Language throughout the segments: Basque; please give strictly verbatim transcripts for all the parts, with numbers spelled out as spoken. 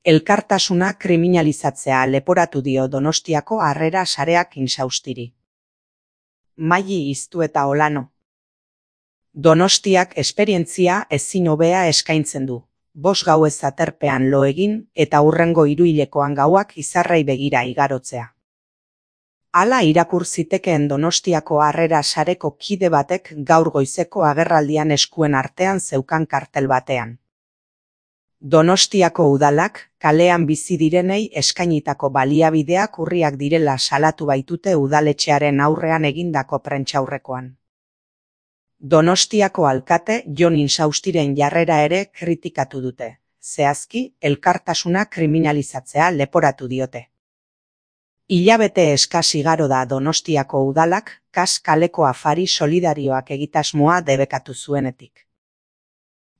Elkartasuna kriminalizatzea leporatu dio Donostiako Harrera Sareak Insaustiri. Maili Iztu eta Olano. Donostiak esperientzia ezin hobea eskaintzen du. Bost gauez aterpean lo egin eta hurrengo hiruhilekoan gauak izarrei begira igarotzea. Hala irakur zitekeen Donostiako Harrera Sareko kide batek gaur goizeko agerraldian eskuen artean zeukan kartel batean. Donostiako udalak kalean bizi direnei eskainitako baliabideak urriak direla salatu baitute udaletxearen aurrean egindako prentsaurrekoan. Donostiako alkate Jon Insaustiren jarrera ere kritikatu dute, zehazki elkartasuna kriminalizatzea leporatu diote. Hilabete eskas igaro da Donostiako udalak kas kaleko afari solidarioak egitasmoa debekatu zuenetik.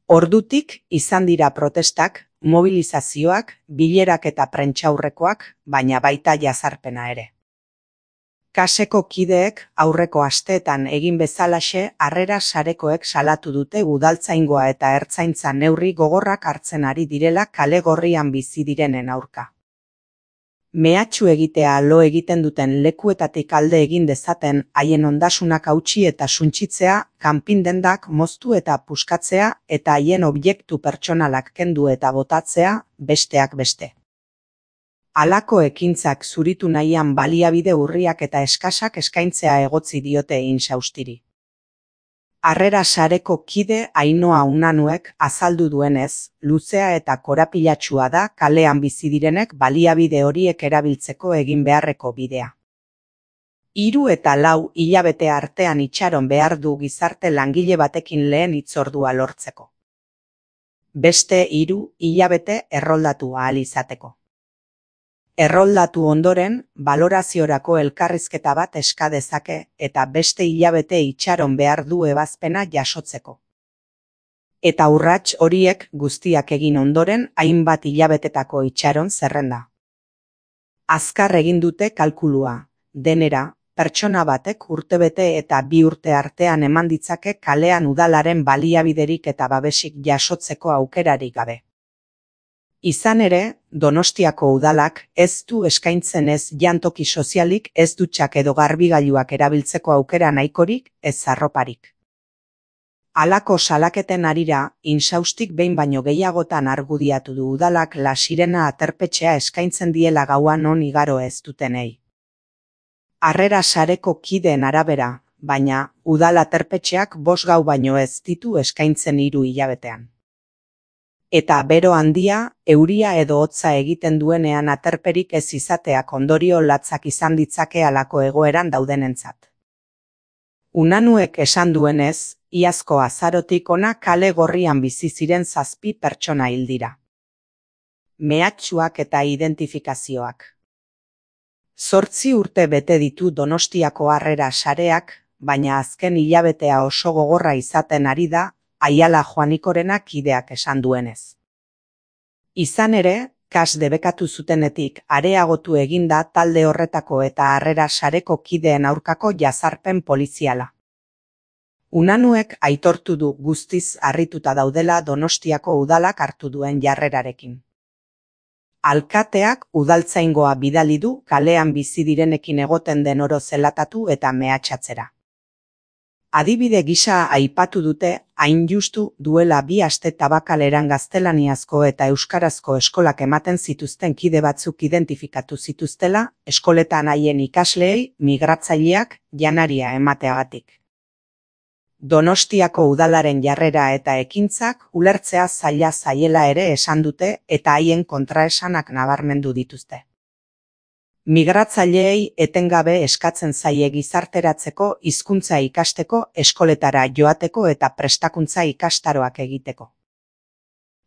Ordutik izan dira protestak, mobilizazioak, bilerak eta prentsaurrekoak, baina baita jazarpena ere. Kaseko kideek aurreko asteetan egin bezalaxe Harrera Sarekoek salatu dute udaltzaingoa eta ertzaintza neurri gogorrak hartzen ari direla kale gorrian bizi direnen aurka. Mehatxu egitea lo egiten duten lekuetatik alde egin dezaten haien ondasunak hautsi eta suntsitzea, kanpindendak moztu eta puskatzea eta haien objektu pertsonalak kendu eta botatzea, besteak beste. Halako ekintzak zuritu nahian baliabide urriak eta eskasak eskaintzea egotzi diote Insaustiri. Harrera Sareko kide Ainhoa Unanuek azaldu duenez, luzea eta korapilatsua da kalean bizi direnek baliabide horiek erabiltzeko egin beharreko bidea. Hiru eta lau hilabete artean itxaron behar du gizarte langile batekin lehen hitzordua lortzeko. Beste hiru hilabete erroldatu ahal izateko. Erroldatu ondoren, baloraziorako elkarrizketa bat eska dezake eta beste hilabete itxaron behar du ebazpena jasotzeko. Eta urrats horiek guztiak egin ondoren hainbat hilabetetako itxaron zerrenda. Azkar egin dute kalkulua, denera, pertsona batek urtebete eta bi urte artean eman ditzake kalean udalaren baliabiderik eta babesik jasotzeko aukerarik gabe. Izan ere, Donostiako udalak ez du eskaintzen ez jantoki sozialik, ez dutxak edo garbigailuak erabiltzeko aukera nahikorik, ez arroparik. Halako salaketen harira, Insaustik behin baino gehiagotan argudiatu du udalak La Sirena aterpetxea eskaintzen diela gauan on igaro ez dutenei. Harrera Sareko kideen arabera, baina udal aterpetxeak bost gau baino ez ditu eskaintzen hiru hilabetean. Eta bero handia, euria edo hotza egiten duenean aterperik ez izateak ondorio latzak izan ditzake halako egoeran daudenentzat. Unanuek esan duenez, iazko azarotik ona kale gorrian bizi ziren zazpi pertsona hil dira. Mehatxuak eta identifikazioak. Zortzi urte bete ditu Donostiako Harrera Sareak, baina azken hilabetea oso gogorra izaten ari da, Aiala Joanikorena kideak esan duenez. Izan ere, kas debekatu zutenetik areagotu eginda talde horretako eta Harrera Sareko kideen aurkako jazarpen poliziala. Unanuek aitortu du guztiz harrituta daudela Donostiako udalak hartu duen jarrerarekin. Alkateak udaltzaingoa bidali du kalean bizi direnekin egoten den oro zelatatu eta mehatxatzera. Adibide gisa aipatu dute, hain justu duela bi aste Tabakaleran gaztelaniazko eta euskarazko eskolak ematen zituzten kide batzuk identifikatu zituztela, eskoletan haien ikasleei migratzaileak janaria emateagatik. Donostiako udalaren jarrera eta ekintzak ulertzea zaila zaiela ere esan dute eta haien kontraesanak nabarmendu dituzte. Migratzaileei etengabe eskatzen zaie gizarteratzeko, hizkuntza ikasteko, eskoletara joateko eta prestakuntza ikastaroak egiteko.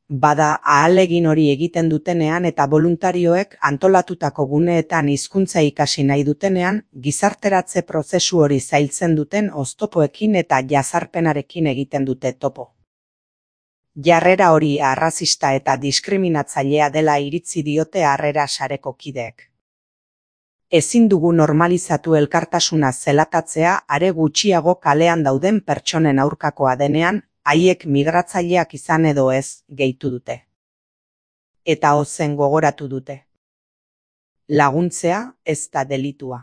Bada ahalegin hori egiten dutenean eta boluntarioek antolatutako guneetan hizkuntza ikasi nahi dutenean, gizarteratze prozesu hori zailtzen duten oztopoekin eta jazarpenarekin egiten dute topo. Jarrera hori arrazista eta diskriminatzailea dela iritzi diote Harrera Sareko kideek. Ezin dugu normalizatu elkartasuna zelatatzea are gutxiago kalean dauden pertsonen aurkakoa denean, haiek migratzaileak izan edo ez, gehitu dute. eta ozen gogoratu dute. Laguntzea ez da delitua.